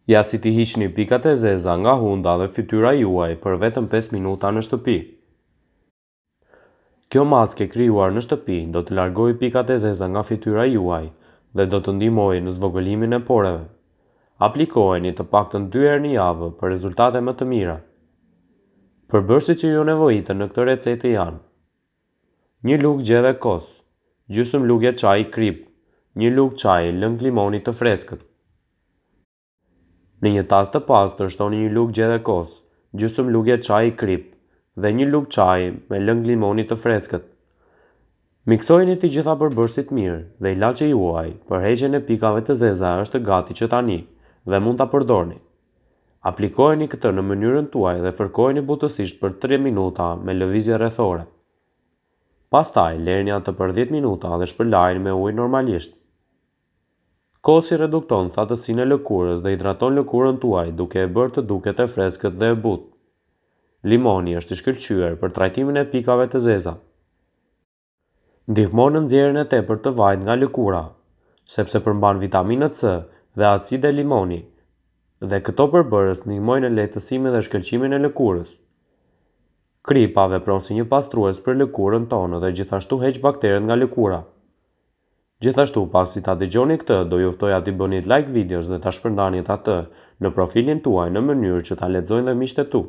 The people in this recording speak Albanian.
Ja si t'i hiqni pikat e zeza nga hunda dhe fytyra juaj për vetëm 5 minuta në shtëpi. Kjo maskë e krijuar në shtëpi do të largojë pikat e zeza nga fytyra juaj dhe do të ndihmojë në zvogëlimin e poreve. Aplikojeni të paktën 2 herë në javë për rezultate më të mira. Përbërësit që ju nevojiten në këtë recetë janë: një lugë gjedhe kos, gjysmë luge çaji kripë, një lugë çaji lëng limoni të freskët. Në një tas të pastër shtoni një lugë gjedhe kos, gjysmë luge çaji kripë dhe një lugë çaji me lëng limoni të freskët. Miksojini të gjitha përbërësit mirë dhe ilaçi juaj për heqjen e pikave të zeza është gati që tani dhe mund ta përdorni. Aplikojeni këtë në mënyrën tuaj dhe fërkojeni butësisht për 3 minuta me lëvizje rrethore. Pastaj lëreni atë për 10 minuta dhe shpërlajeni me ujë normalisht. Kosi redukton thatësinë e lëkurës dhe hidraton lëkurën tuaj duke e bërë të duket e freskët dhe e butë. Limoni është i shkëlqyer për trajtimin e pikave të zeza. Ndihmon në nxjerrjen e tepërt të vajit nga lëkura, sepse përmban vitaminë C dhe acide limoni, dhe këto përbërës ndihmojnë në lehtësimin dhe shkëlqimin e lëkurës. Kripa vepron si një pastrues për lëkurën tonë dhe gjithashtu heq bakteret nga lëkura. Gjithashtu, pasi ta dëgjoni këtë, do ju ftoja t'i bëni like videos dhe ta shpërndanit atë në profilin tuaj në mënyrë që ta lexojnë dhe miqtë e tu.